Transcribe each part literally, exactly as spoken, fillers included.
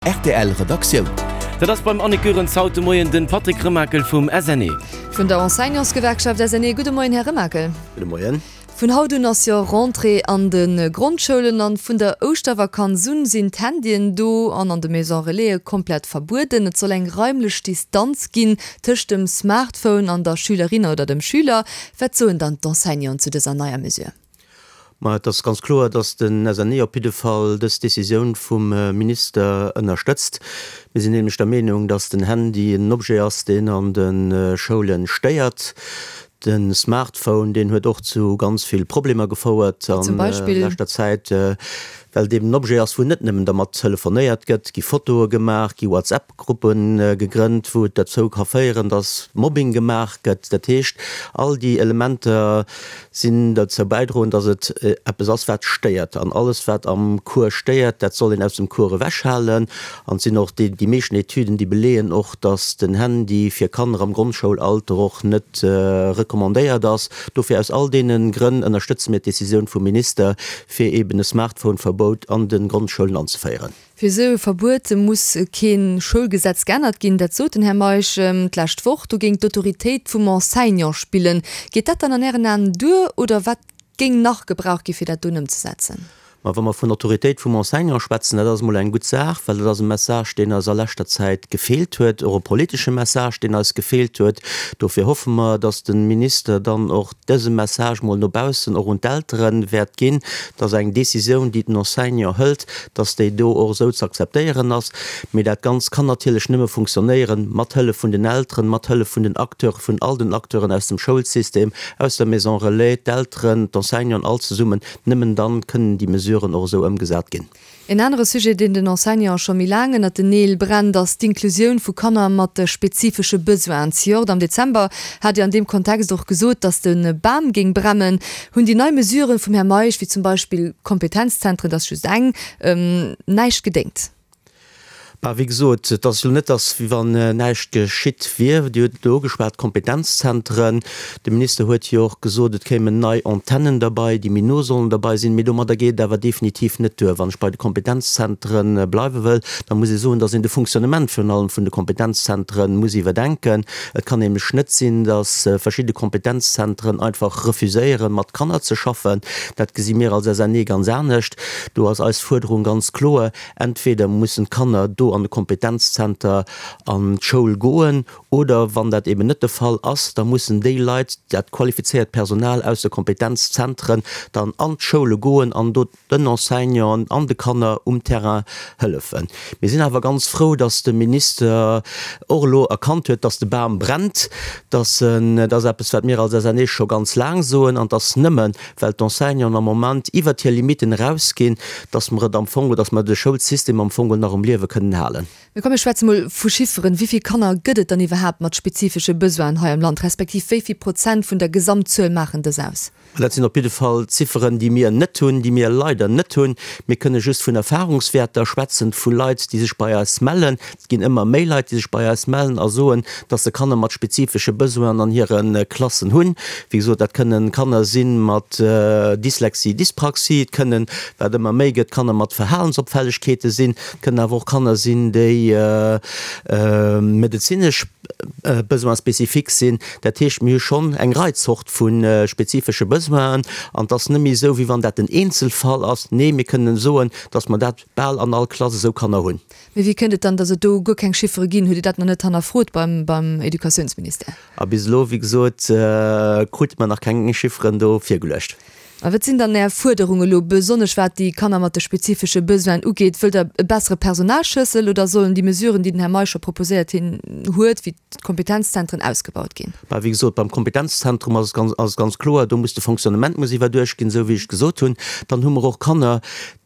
R T L Redaktioun. Dat ass beim Annick Goerens haut de Moien den Patrick Remakel vum S N E. Vun der Enseignantsgewerkschaft S N E. Gudde Moien, Här Remakel. Gudde Moien. Vun haut un ass jo Rentrée an de Grondschoulen an vun der Ouschtervakanz un sinn d'Handyen do an an de Maison Relaisen komplett verbueden. Et soll eng raimlech Distanz ginn tëscht dem Smartphone an der Schülerin oder dem Schüler. Wat soen dann d'Enseignanten zu dëser neier Mesure? Ma et ass ganz kloer, dass den S N E op jidde Fall dës Decisioun vum Minister ënnerstëtzt. Mir sinn nämlech der Meenung, dass den Handy en Objet ass, deen an de Schoule stéiert. Den Smartphone, deen huet och zu ganz vill Problemer gefouert an Zum Beispill? leschter Zäit, well et eben en Objet ass, wou net nëmmen dermat telefonéiert gëtt, gi Fotoe gemaach, gi WhatsApp-Gruppe gegrënnt, wou et derzou ka féieren, dass Mobbing gemaach gëtt. Dat heescht, all déi Elementer sinn derzou bäidroen, dass et eppes ass, wat stéiert. An alles, wat am Cours stéiert, dat soll een aus dem Cours ewechhalen. An et sinn och déi, déi meeschten Etüden, déi beleeën och, dass den Handy fir Kanner am Grondschoulalter och net recommandéiert ass. Dofir aus all deene Grënn ënnerstëtze mir d'Decisioun vum Minister, fir eben e Smartphone-Verbout an de Grondschoulen anzeféieren. Fir esou e Verbuet muss kee Schoulgesetz geännert ginn, dat sot den Här Meisch d'lescht Woch. Do géing d'Autoritéit vum Enseignant spillen. Geet dat dann an Ären Aen duer oder wat géing nach gebraucht gi fir dat dunn ëmzesetzen? Ma wa mer vun Autoritéit vum Enseignant schwätzen, dat ass emol eng gutt Saach, well dat ass e Message, deen eis a leschter Zäit gefeelt huet, och e politesche Message, deen eis gefeelt huet. Dofir hoffe mer, dass de Minister dann och dëse Message mol no baussen, och un d'Eltere wäert ginn, dass eng Décisioun, déi den Enseignant hëlt, dass déi do och esou ze akzeptéieren ass. Mee dat Ganzt kann natierlech nëmme funktionéieren mat Hëllef vun den Elteren, mat Hëllef vun den Acteuren, vun all den Acteuren aus dem Schoulsystem, aus der Maison Relais, d'Elteren, d'Enseignanten, all zesummen. Nëmmen dann kënnen déi Mesuren och esou ëmgesat ginn. En anere Sujet, deen den Enseignante scho méi laang ënnert den Neel brennt, ass d'Inklusioun vu Kanner mat spezifesche Besoinen. Zejoert am Dezember hat Dir an deem Kontext och gesot, datt de Bam géing brennen. Hunn déi nei Mesuren vum Här Meisch, wéi zum Beispill Kompetenzzentren, dat ass just eng, näischt gedéngt? Bah, wéi gesot, et ass jo net, dass wéi wann näischt geschitt wier. Dir hutt et elo ugeschwat, d'Kompetenzzentren. De Minister huet jo och gesot, et kéimen nei Antennen derbei, déi méi no sollen derbei sinn. Mee domadder geet et awer definitiv net duer. Wann ech bei de Kompetenzzentren bleiwe wëll, da muss ee soen, dass een de Fonctionnement virun allem vun de Kompetenzzentren muss iwwerdenken. Et kann nämlech net sinn, dass verschidde Kompetenzzentren einfach refuséieren, mat Kanner ze schaffen. Dat gesi mir als S N E ganz anescht. Do ass eis Fuerderung ganz kloer, Entweder mussen d'Kanner do an de Kompetenzzenter an d'Schoul goen, oder wann dat eben net de Fall ass, da mussen déi Leit, dat qualifizéiert Personal aus de Kompetenzzentren dann an d'Schoule goen an do den Enseignanten an de Kanner um Terrain hëllefen. Mir sinn awer ganz frou, dass de Minister och elo erkannt huet, dass de Bam brennt, dass en, dat ass eppes, wat mir als S N E scho ganz laang soen, an dass nëmmen, well d'Enseignanten am Moment iwwert hir Limiten erausginn, dass mer et am Fong, dass mer de Schoulsystem am Fong nach um Liewe kënnen halen. Mir komme schwätze mol vu Chifferen. Wéi vill Kanner gëtt et dann iwwerhaapt mat spezifesche Besoinen hei am Land, respektiv wéi vill Prozent vun der Gesamtzuel maachen dës aus? Dat sinn op jidde Fall Zifferen, déi mir net hunn, déi mir leider net hunn. Mir kënne just vun Erfahrungswäerter schwätzen, vu Leit, déi sech bei eis mellen. Et ginn ëmmer méi Leit, déi sech bei eis mellen a soen, dass se Kanner mat spezifesche Besoinen an hire Klassen hunn. Wéi gesot, dat kënnen Kanner si mat Dyslexie, Dyspraxie, et kënnen, wat ëmmer méi gëtt, Kanner mat Verhalensopfällegkeete sinn, et kënnen awer och Kanner sinn, déi medezinesch Besoins spécifiques sinn. Dat heescht, mir hu schonn eng Rei Zort vu spezifesche Besoinen an et ass net méi esou, wéi wann dat den Eenzelfall ass. Nee, mir kënnen soen, dass mer dat bal an all Klass esou Kanner hunn. Mee wéi kënnt et dann, dass et do guer keng Chiffere ginn? Hutt Dir dat nach net hannerfrot beim, beim Educatiounsministère? A bis elo, wéi gesot, krute mer nach keng Chifferen do virgeluecht. A wat sinn dann Är Fuerderungen elo, besonnesch wat déi Kanner mat de spezifesche Besoinen ugeet? Wëllt Der e bessere Personalschlëssel oder sollen déi Mesuren, déi den Här Meisch scho proposéiert hinn huet, wéi d'Kompetenzzentren, ausgebaut ginn? Bah, wéi gesot, beim Kompetenzzentrum ass et ganz, ass et ganz kloer, do muss de Fonctionnement muss iwwerduecht ginn, esou wéi ech gesot hunn. Dann hu mer och Kanner,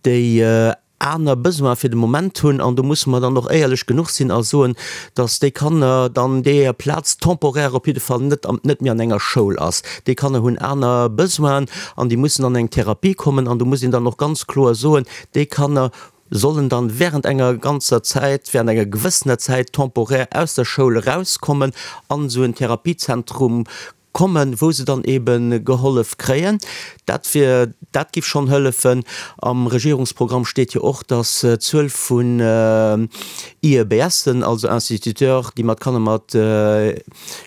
déi aner Besoin fir de Moment hunn, an do musse mer dann och éierlech genuch sinn a soen, dass déi Kanner dann déi hir Plaz temporaire op jidde Fall net am, net méi an enger Schoul ass. Déi Kanner hunn aner Besoinen an déi mussen an eng Therapie kommen, an do muss een dann och ganz kloer soen, déi Kanner sollen dann während enger ganzer Zäit, während enger gewëssener Zäit temporaire aus der Schoul erauskommen an esou en Therapiezentrum kommen, wou se dann eben gehollef kréien. Dat wier, dat giff schonn hëllefen. Am Regierungsprogramm steet jo och, dass d'Zuel vun IEBSen, also Instituteurs, déi mat Kanner mat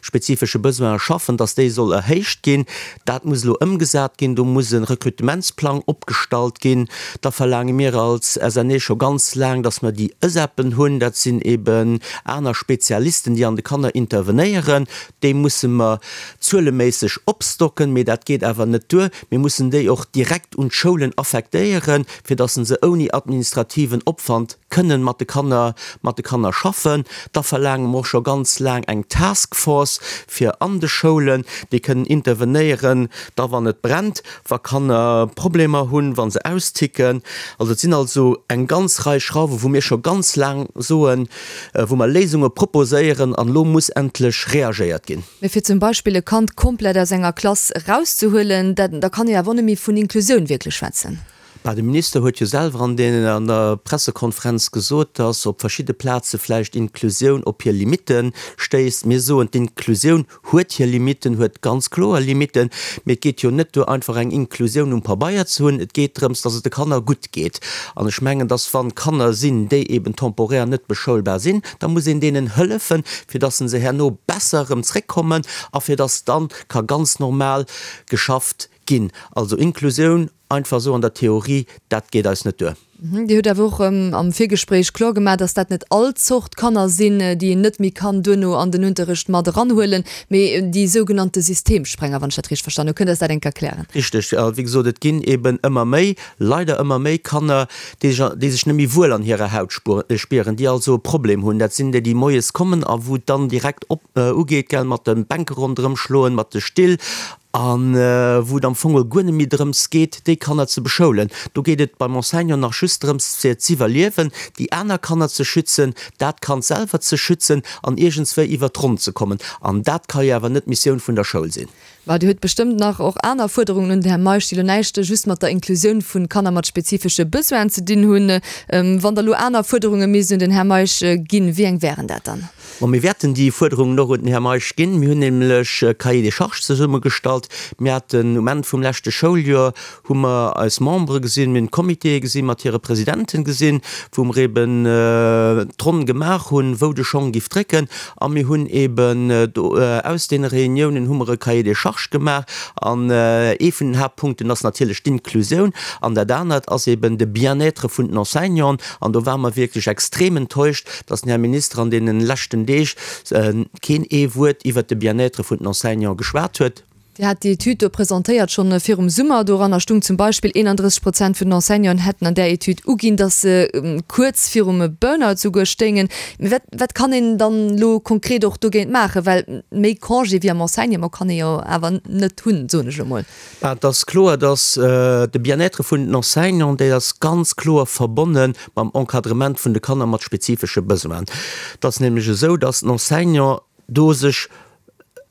spezifesche Besoine schaffen, dass déi soll erhéicht ginn. Dat muss elo ëmgesat ginn. Do muss e Rekrutementsplang opgestallt ginn. Da verlaange mir als SNE scho ganz laang, dass mer déi ËSEPen hunn. Dat sinn eben aner Spezialisten, déi an de Kanner intervenéieren. Déi musse mer zueleméisseg opstocken, mee dat geet awer net duer. Mir mussen déi och direkt un d'Schoulen affektéieren, fir dass se ouni administrativen Opwand kënnen mat de Kanner, mat de Kanner schaffen. Da verlaange mer och scho ganz laang eng Task Force fir an de Schoulen, déi kënnen intervenéieren, da wann et brennt, wa Kanner Problemer hunn, wa se austicken. Also et sinn also eng ganz Rei Schrauwen, wou mir scho ganz laang soen, wou mer Léisunge proposéieren an elo muss endlech reagéiert ginn. Mee fir zum Beispill e Kand komplett aus enger Klass erauszehuelen, dat, da kann ee jo awer och net méi vun Inklusioun wierklech schwätzen. Bah, de Minister huet jo selwer an den, an der Pressekonferenz gesot, dass op verschidde Plaze vläicht d'Inklusioun op hir Limitte stéisst. Mir soen, d'Inklusioun huet hir Limitten, huet ganz kloer Limitten. Mee et geet jo net duer, einfach eng Inklusioun um Pabeier ze hunn. Et geet drëms, dass et de Kanner gutt geet. An ech mengen, dass wann Kanner sinn, déi eben temporär net beschoulbar sinn, da muss een deenen hëllefen, fir dass se herno besser erëm zréckkommen a fir dass dann ka ganz normal geschafft ginn. Also Inklusioun einfach esou an der Theorie, dat geet eis net duer. Dir hutt awer och am Virgespréich kloer gemaach, dass dat net all Zort Kanner sinn, déi een net méi kann duerno an den Unterrecht mat eranhuelen, mee déi sougenannte Systemsprenger, wann ech dat richteg verstanen hunn. Kënnt Der eis dat eng Kéier erklären? Richteg. Wéi gesot, et ginn eben ëmmer méi, leider ëmmer méi Kanner, déi sech, déi sech net méi wuel an hirer Haut spieren, déi also e Problem hunn. Dat sinn déi, déi moies kommen a wou et dann direkt op, ugeet, gell, mat de Bänke ronderëm schloen, mat de Still a wou et am Fong guer net méi drëms geet, déi Kanner ze beschoulen. Do geet et beim Enseignant nach just drëms, fir z'iwwerliewen, déi aner Kanner ze schützen, dat Kand selwer ze schützen an iergendswéi iwwert d'Ronn ze kommen. An dat ka jo awer net d'Missioun vun der Schoul sinn. Mä Dir hutt bestëmmt nach och aner Fuerderungen un den Här Meisch, déi elo näischt just mat der Inklusioun vu Kanner mat spezifesche Besoinen ze dinn hunn. Wann Der elo aner Fuerderunge misst un den Här Meisch ginn, wéi eng wären dat dann? Bon, mir wäerten déi Fuerderungen och un den Här Meisch ginn. Mir hunn nämlech e Cahier des charges zesummegestallt. Mir haten um Enn vum leschte Schouljoer, hu mer eis Membere gesinn, mir hunn d'Comitéë gesinn, mat hire Presidenten gesinn, wou mer eben d'Ronn gemaach hunn, wou de Schong giff drécken. A mir hunn eben do aus deene Reuniounen hu mer e Cahier des charges gemaach. An ee vun den Haaptpunkten ass natierlech d'Inklusioun. An dat anert ass eben de Bien-être vun den Enseignanten. An do ware mer wierklech extrem enttäuscht, dass den Här Minister an deene leschten Deeg keen ee Wuert iwwert de Bien-être vun den Enseignanten geschwat huet. Dir hat déi Etüd do presentéiert schonn virum Summer. Doranner stung zum Beispill, eenandrësseg Prozent vun den Enseignanten hätten an där Etüd uginn, datt se kuerz virum Burnout souguer stéingen. Mee wat, wat kann een dann elo konkret och dogéint maachen? Well méi Congé wéi am Enseignement kann ee jo awer net hunn, soen ech elo mol. Et ass kloer, datt de Bien-être vun den Enseignanten, dee ass ganz kloer verbonne mam Encadrement vun de Kanner mat spezifesche Besoinen. Et ass nämlech esou, datt den Enseignant do sech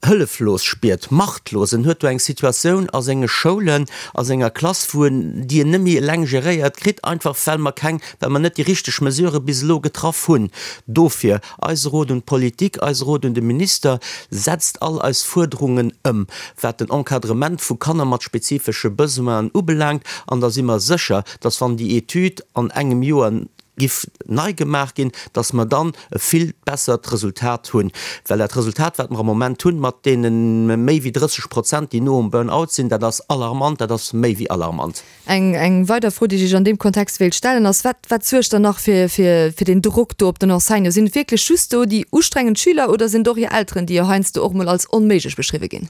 hëlleflos spiert, machtlos. En huet do eng Situatioun a senge Schoulen, a senger Klass, wou en, déi en net méi eleng geréiert kritt, einfach well mer keng, well mer net déi richteg Mesurë bis elo getraff hunn. Dofir eise Rot un d'Politik, eise Rot un de Minister, Setzt all eis Fuerderungen ëm, wat den Encadrement vu Kanner mat spezifesche Besoinen ubelaangt, an da si mer sécher, dass, wann déi Etüd an engem Joer giff nei gemaach ginn, dass mer dann e vill bessert Resultat hunn. Well dat Resultat, wat mer am Moment hunn, mat deene méi wéi drësseg Prozent, déi no um Burn-out sinn, dat ass alarmant, dat ass méi wéi alarmant. Eng, eng weider Fro, déi ech Iech an deem Kontext wéilt stellen, ass, Wat, wat suergt dann nach fir, fir, fir deen Drock do op den Enseignant? Sinn et wierklech just do déi ustrengend Schüler oder sinn et och hir Elteren, déi jo heiansdo och mol als onméiglech beschriwwe ginn?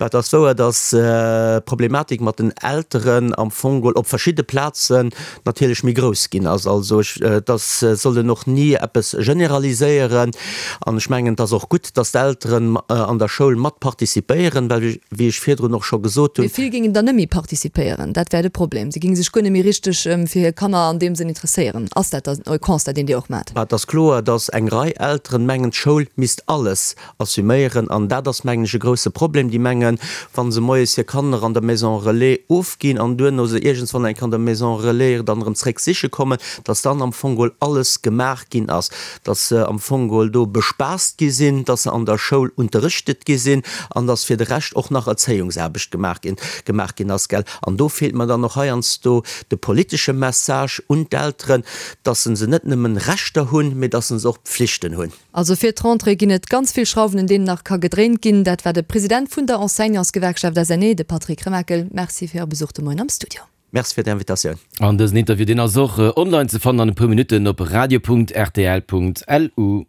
Et ass wouer, dass d'Problematik mat den Elteren am Fong geholl op verschidde Plazen natierlech méi grouss ginn ass. Also ech, et ass, soll een och ni eppes generaliséieren. An ech mengen, et ass och gutt, dass d'Elteren an der Schoul mat participéieren, well, wéi ech virdrun och scho gesot hunn, Mee vill géingen dann net méi participéieren, dat wär de Problem. Si géinge sech guer net méi richteg fir hir Kanner an deem Sënn interesséieren. Ass dat dann e Constat, deen Dir och maacht? Et ass kloer, dass eng Rei Elteren mengen, d'Schoul misst alles assuméieren. An dat ass, mengen ech, e grouse Problem. Déi mengen, wa se moies hir Kanner an der Maison relais ofginn an duerno se iergendswann eng Kéier an der Maison relais dann erëm zréck siche kommen, dass dann wann am Fong geholl alles gemaach ginn ass, dass se am Fong geholl do bespaasst gi sinn, dass se an der Schoul unterrichtet gi sinn an dass fir de Rescht och nach Erzéiungsaarbecht gemaach ginn, gemaach ginn ass, gell. An do feelt mer dann och heiansdo de politesche Message un d'Elteren, dass se net nëmmen Rechter hunn, mee dass se och Pflichten hunn. Also fir d'Rentrée ginn et ganz vill Schrauwen, un deenen nach ka gedréint ginn. Dat war de President vun der Enseignantsgewerkschaft S N E, de Patrick Remakel. Merci fir Äre Besuch de Moien am Studio. Merci fir d'Invitatioun. An dësen Interview, deen ass och online ze fannen an e puer Minutten op radio Punkt R T L Punkt L U.